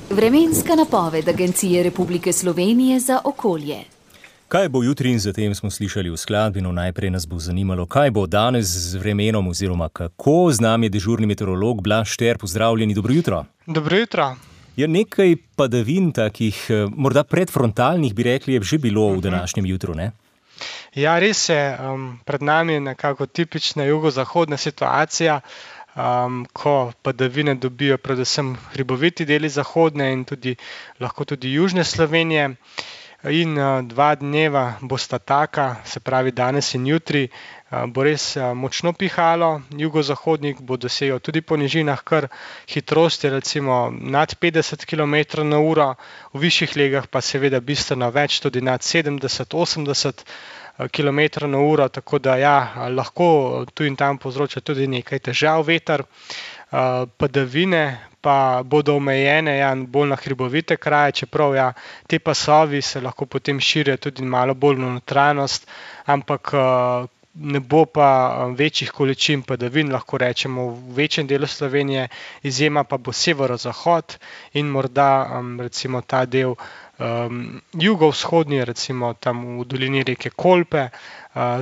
Vremenska napoved Agencije Republike Slovenije za okolje. Kaj bo jutri in zatem smo slišali v skladbi, no najprej nas bo zanimalo, kaj bo danes z vremenom oziroma kako. Z nami je dežurni meteorolog Blaž Šter, pozdravljeni, dobro jutro. Dobro jutro. Je nekaj padavin takih, morda predfrontalnih, bi rekli, je že bilo v današnjem jutru, ne? Ja, res je, pred nami je nekako tipična jugozahodna situacija, ko padavine dobijo predvsem hriboviti deli zahodne in lahko tudi južne Slovenije. In 2 dneva bosta taka, se pravi danes in jutri, bo res močno pihalo. Jugozahodnik bo dosegel tudi po nižinah kar hitrosti, recimo nad 50 km/h, v višjih legah pa seveda bistveno več, tudi nad 70-80 km/h, tako da ja, lahko tu in tam povzroča tudi nekaj težav veter. Padavine pa bodo omejene bolj na hribovite kraje, čeprav te pasovi se lahko potem širijo tudi malo bolj v notranjost, ampak ne bo pa večjih količin padavin, lahko rečemo v večjem delu Slovenije, izjema pa bo severozahod in morda recimo ta del jugovzhodni, recimo tam v dolini reke Kolpe,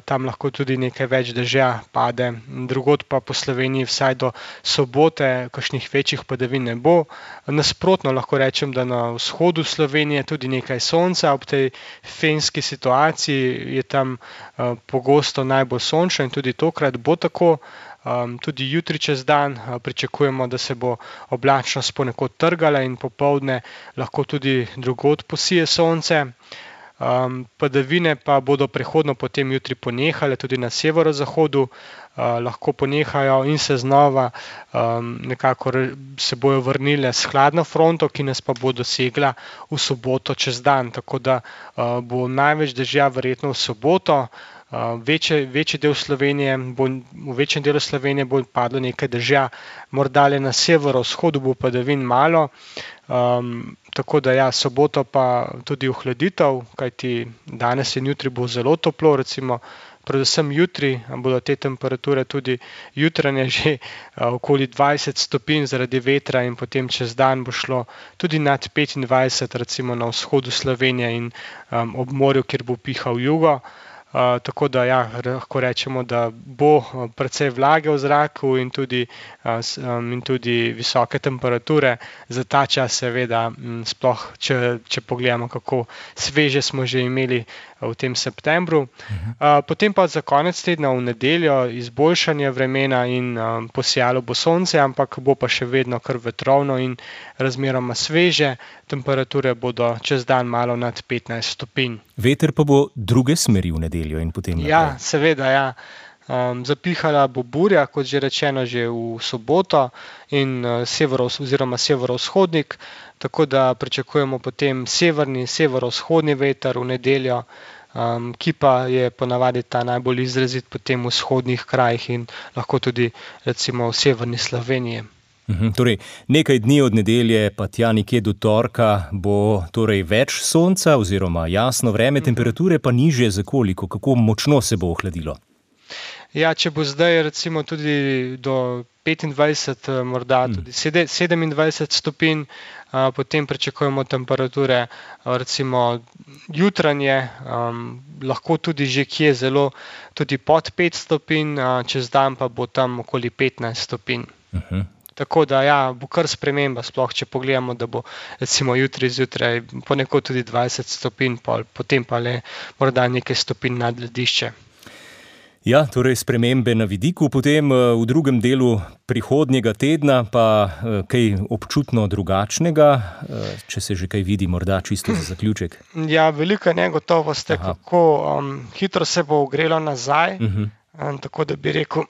tam lahko tudi nekaj več dežja pade, drugod pa po Sloveniji vsaj do sobote kakšnih večjih padavin ne bo. Nasprotno lahko rečem, da na vzhodu Slovenije tudi nekaj sonca, ob tej fenski situaciji je tam pogosto najbolj sončno in tudi tokrat bo tako. Tudi jutri čez dan pričakujemo, da se bo oblačnost ponekod trgala in popoldne lahko tudi drugod posije sonce. Padavine pa bodo prehodno potem jutri ponehale, tudi na severozahodu lahko ponehajo in se znova nekako se bojo vrnile s hladno fronto, ki nas pa bo dosegla v soboto čez dan, tako da bo največ dežja verjetno v soboto. Večji del Slovenije v večjem delu Slovenije bo padlo nekaj dežja, morda le na severovzhodu bo padavin malo, tako da soboto pa tudi ohladitev, kajti danes in jutri bo zelo toplo, recimo predvsem jutri bodo te temperature tudi jutranje že okoli 20 stopinj zaradi vetra in potem čez dan bo šlo tudi nad 25, recimo na vzhodu Slovenije in ob morju, kjer bo pihal jugo. Tako da lahko rečemo, da bo precej vlage v zraku in tudi visoke temperature. Za ta čas seveda, sploh če pogledamo, kako sveže smo že imeli v tem septembru. Potem pa za konec tedna v nedeljo izboljšanje vremena in posijalo bo sonce, ampak bo pa še vedno kar vetrovno in razmeroma sveže. Temperature bodo čez dan malo nad 15 stopinj. Veter pa bo druge smeri v nedeljo in potem naprej. Ja, seveda, zapihala bo burja, kot že rečeno, že v soboto in severovzhodnik, tako da pričakujemo potem severovzhodni veter v nedeljo, ki pa je ponavadi ta najbolj izrazit potem v vzhodnih krajih in lahko tudi recimo v severni Sloveniji. Torej, nekaj dni od nedelje pa tja nekje do torka bo torej več sonca oziroma jasno vreme, temperature pa nižje za koliko, kako močno se bo ohladilo? Ja, če bo zdaj recimo tudi do 25, morda tudi 27 stopinj, potem pričakujemo temperature recimo jutranje, lahko tudi že kje zelo tudi pod 5 stopinj, čez dan pa bo tam okoli 15 stopinj. Tako da bo kar sprememba, sploh če pogledamo, da bo recimo jutri zjutraj ponekod tudi 20 stopinj, potem pa le morda nekaj stopinj nad ledišče. Ja, torej spremembe na vidiku, potem v drugem delu prihodnjega tedna pa kaj občutno drugačnega, če se že kaj vidi, morda čisto za zaključek. Ja, velika negotovost je, kako hitro se bo ogrelo nazaj, tako da bi rekel,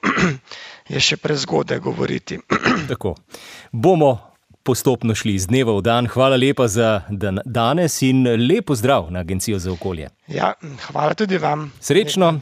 je še prezgodaj govoriti. Tako, bomo postopno šli iz dneva v dan. Hvala lepa za danes in lep pozdrav na Agencijo za okolje. Ja, hvala tudi vam. Srečno.